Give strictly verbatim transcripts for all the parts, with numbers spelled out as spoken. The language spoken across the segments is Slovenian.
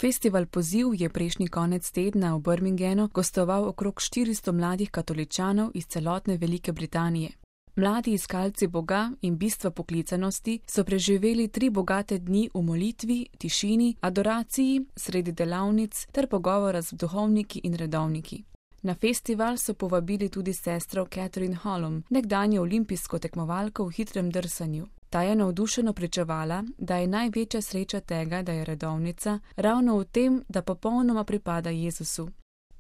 Festival Poziv je prejšnji konec tedna v Birminghamu gostoval okrog štiristo mladih katoličanov iz celotne Velike Britanije. Mladi iskalci Boga in bistva poklicanosti so preživeli tri bogate dni v molitvi, tišini, adoraciji, sredi delavnic ter pogovora z duhovniki in redovniki. Na festival so povabili tudi sestro Catherine Hallam, nekdanjo olimpijsko tekmovalko v hitrem drsanju. Ta je navdušeno pričevala, da je največja sreča tega, da je redovnica, ravno v tem, da popolnoma pripada Jezusu.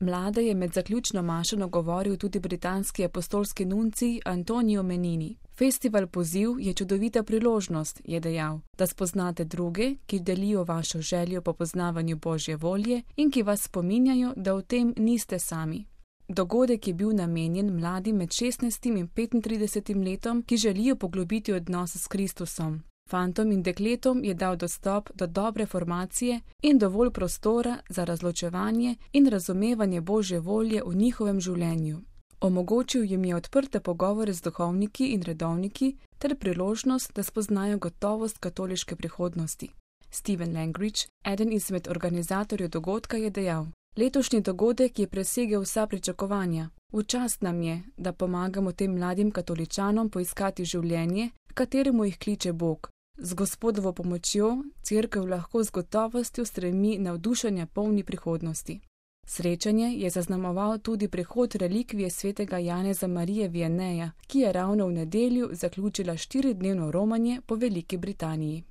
Mlade je med zaključno mašo nagovoril tudi britanski apostolski nuncij Antonio Menini. Festival Poziv je čudovita priložnost, je dejal, da spoznate druge, ki delijo vašo željo po poznavanju Božje volje in ki vas spominjajo, da v tem niste sami. Dogodek je bil namenjen mladim med šestnajstim in petintridesetim letom, ki želijo poglobiti odnos s Kristusom. Fantom in dekletom je dal dostop do dobre formacije in dovolj prostora za razločevanje in razumevanje Božje volje v njihovem življenju. Omogočil jim je odprte pogovore z duhovniki in redovniki ter priložnost, da spoznajo gotovost katoliške prihodnosti. Stephen Langridge, eden izmed organizatorjev dogodka, je dejal: Letošnji dogodek je presegel vsa pričakovanja. V čast nam je, da pomagamo tem mladim katoličanom poiskati življenje, kateremu jih kliče Bog. Z Gospodovo pomočjo cerkev lahko z gotovostjo stremi navdušenja polni prihodnosti. Srečanje je zaznamoval tudi prihod relikvije svetega Janeza Marije Vianeja, ki je ravno v nedeljo zaključila štiridnevno romanje po Veliki Britaniji.